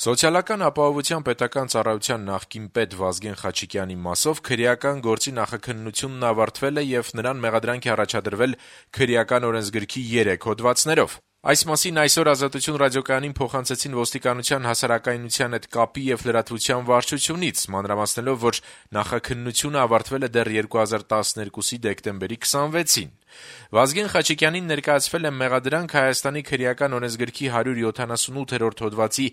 Սոցիալական ապահովության պետական ծառայության նախկին պետ Վազգեն Խաչիկյանի մասով քրեական գործի նախաքննությունն ավարտվել է եւ նրան մեղադրանք է առաջադրվել քրեական օրենսգրքի 3 հոդվածներով։ Այս մասին այսօր Ազատություն ռադիոկայանին փոխանցեցին ոստիկանության հասարակայնության հետ կապի եւ լրատվության վարչությունից, մանրամասնելով, որ նախաքննությունը ավարտվել է դեռ 2012-ի դեկտեմբերի 26-ին։ Վազգեն Խաչիկյանին ներկայացվել է մեղադրանք Հայաստանի քրեական օրենսգրքի 178-րդ հոդվածի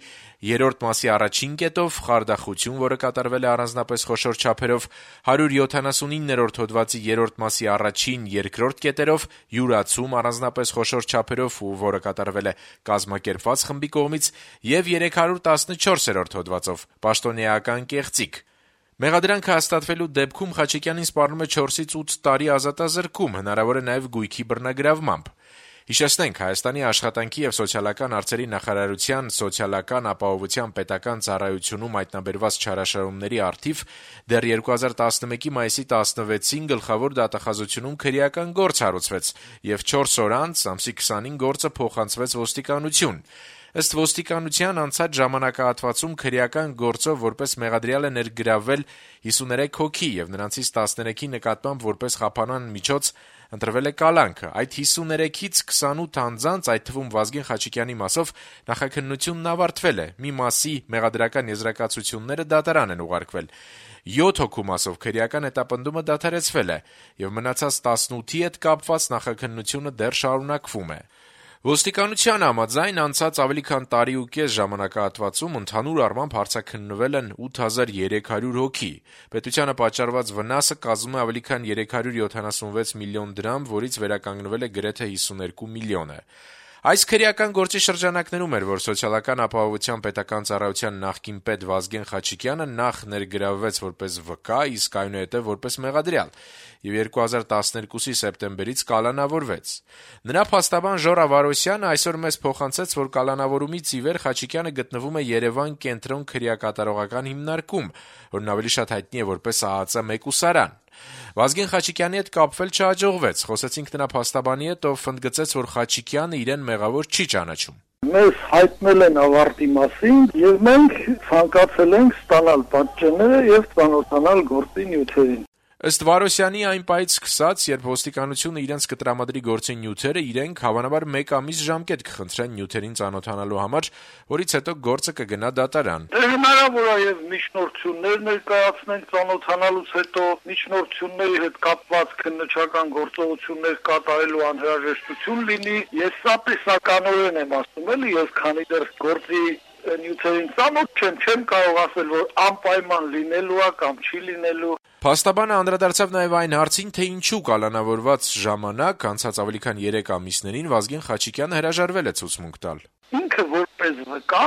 3-րդ մասի առաջին կետով, խարդախություն, որը կատարվել է առանձնապես խոշոր չափերով, 179-րդ հոդվածի 3-րդ մասի առաջին, երկրորդ կետերով, յուրացում առանձնապես խոշոր չափերով, որը կատարվել է կազմակերպված խմբի կողմից, եւ 314-րդ հոդվածով, պաշտոնեական կեղծիք։ Մեղադրանքը հաստատվելու դեպքում Խաչիկյանին սպառնում է 4-ից 8 տարի ազատազրկում, հնարավոր է նաև գույքի բռնագրավմամբ։ Հիշեցնենք, Հայաստանի աշխատանքի եւ սոցիալական հարցերի նախարարության սոցիալական ապահովության պետական ծառայությունում հայտնաբերված չարաշահումների առթիվ դեռ 2011-ի մայիսի 16-ին գլխավոր դատախազությունում քրեական գործ հարուցվեց եւ 4 օր անց, ամսի 20-ին գործը փոխանցվեց ոստիկանություն։ Ըստ ոստիկանության անցած ժամանակահատվածում քրեական գործով որպես մեղադրյալ է ներգրավվել 53 հոգի եւ նրանցից 13-ի նկատմամբ որպես խափանման միջոց ընտրվել է կալանքը։ Այդ 53-ից 28 անձանց, այդ թվում Վազգեն Խաչիկյանի մասով, նախաքննությունն ավարտվել է։ Մի մասի մեղադրական եզրակացությունները դատարան են ուղարկվել։ 7 հոգու մասով քրեական հետապնդումը դադարեցվել է եւ մնացած 18-ի հետ կապված նախաքննությունը դեռ շարունակվում է։ Ոստիկանության համաձայն անցած ավելի քան տարի ու կես ժամանակահատվածում ընդհանուր առմամբ հարցաքննվել են 8300 հոգի։ Պետությանը պատճառված վնասը կազմում է ավելի քան 376 միլիոն դրամ, որից վերականգնվել է գրեթե 52 միլիոնը։ Այս քրեական գործի շրջանակներում էր, որ սոցիալական ապահովության պետական ծառայության նախկին պետ Վազգեն Խաչիկյանը նախ ներգրավվեց որպես վկա, իսկ այնուհետև որպես մեղադրյալ, եւ 2012-ի սեպտեմբերից կալանավորվեց։ Նրա փաստաբան Ժորա Վարոսյանը այսօր մեզ փոխանցեց, որ կալանավորումից ի վեր Խաչիկյանը գտնվում է Երևան կենտրոն քրեակատարողական հիմնարկում, որն ավելի շատ հայտնի է որպես ԱԱԾ մեկուսարան։ Վազգեն Խաչիկյանի հետ կապվել չհաջողվեց։ Խոսեցինք նրա փաստաբանի հետ, ով ընդգծեց, որ Խաչիկյանը իրեն մեղավոր չի ճանաչում։ Մեզ հայտնել են ավարտի մասին եւ մենք ցանկացել ենք ստանալ պատճենները եւ ծանոթանալ գործի նյութերին։ Ըստ Վարոսյանի այն պահից սկսած, երբ ոստիկանությունը իրենց կտրամադրի գործի նյութերը, իրենք հավանաբար 1 ամիս ժամկետ կխնդրեն նյութերին ծանոթանալու համար, որից հետո գործը կգնա դատարան։ Հնարավոր է եւ միջնորդություններ ներկայացնենք ծանոթանալուց հետո, միջնորդությունների հետ կապված քննչական գործողություններ կատարելու անհրաժեշտություն լինի։ Ես սա տեսականորեն եմ ասում, էլի, ես քանի դեռ գործի նյութերին ծանոթ չեմ կարող ասել, որ անպայման լինելու է կամ չի լինելու։ Փաստաբանը անդրադարձավ նաև այն հարցին, թե ինչու կալանավորված ժամանակ, անցած ավելի քան 3 ամիսներին, Վազգեն Խաչիկյանը հրաժարվել է ցուցմունք տալ։ Ինքը որպես վկա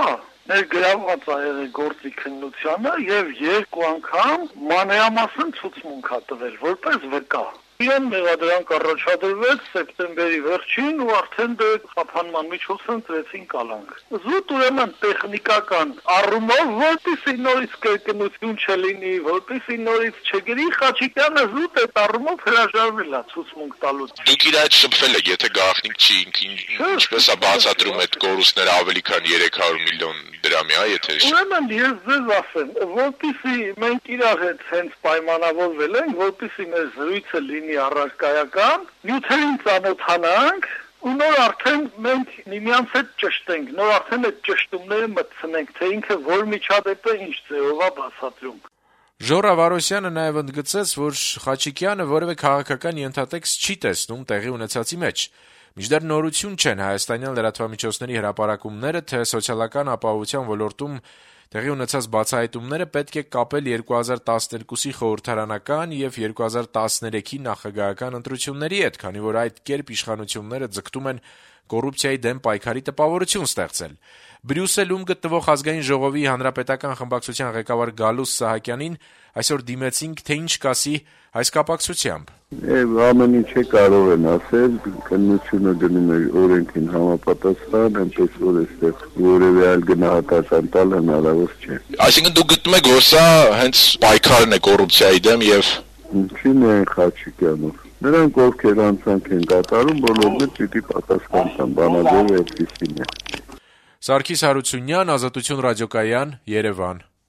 ներգրավված է եղել գործի քննությանը եւ 2 անգամ մանրամասն ցուցմունք է տվել որպես վկա։ Իրեն մեղադրանք առաջադրվեց սեպտեմբերի վերջին ու արդեն խափանման միջոցով ընտրեցին կալանք։ Զուտ ուրեմն տեխնիկական առումով, որպեսզի նորից կրկնություն չլինի, որպեսզի նորից չգրի, Խաչիկյանը զուտ այդ առումով հրաժարվել է ցուցմունք տալուց։ Դուք իր այդ շփվել եք, եթե գաղտնիք չի, ինչպես է բացատրում այդ կորուստները ավելի քան 300 միլիոն դրամի, եթե։ Ուրեմն ես ձեզ ասեմ, որպեսզի մենք իրար հետ հենց պայմանավորվել ենք, որպեսզի մեր զրույցը լինի առարկայական, նյութերին ծանոթանանք ու նոր արդեն մենք միմյանց հետ ճշտենք, նոր արդեն այդ ճշտումները մտցնենք, թե ինքը որ միջադեպը ինչ ձևով է բացատրում։ Ժորա Վարոսյանը նաև ընդգծեց, որ Խաչիկյանը որևէ քաղաքական ենթատեքստ չի տեսնում տեղի ունեցածի մեջ։ Մինչդեռ նորություն չեն հայաստանյան լրատվամիջոցների հրապարակումները, թե սոցիալական ապահովության ոլորտում տեղի ունեցած բացահայտումները պետք է կապել 2012-ի խորհրդարանական եւ 2013-ի նախագահական ընտրությունների հետ, քանի որ այդ կերպ իշխանությունները ձգտում են կոռուպցիայի դեմ պայքարի տպավորություն ստեղծել։ Բրյուսելում գտնվող Ազգային ժողովի հանրապետական խմբակցության ղեկավար Գալուս Սահակյանին այսօր դիմեցինք, թե ինչ կասի այս կապակցությամբ։ Ամեն ինչ կարող են ասել, քննությունը դնում է օրենքին համապատասխան, այնպես որ այստեղ որևէ այլ գնահատական տալ հնարավոր չէ։ Այսինքն դուք գտնում եք, որ սա հենց պայքարն է կոռուպցիայի դեմ եւ ինչին է Խաչիկյանով։ Նրանք ովքեր անցանք են կատարում, բոլորն էլ պիտի պատասխան տան, բանաձևը այդպիսին է։ Սարգիս Հարությունյան, Ազատություն ռադիոկայան, Երևան։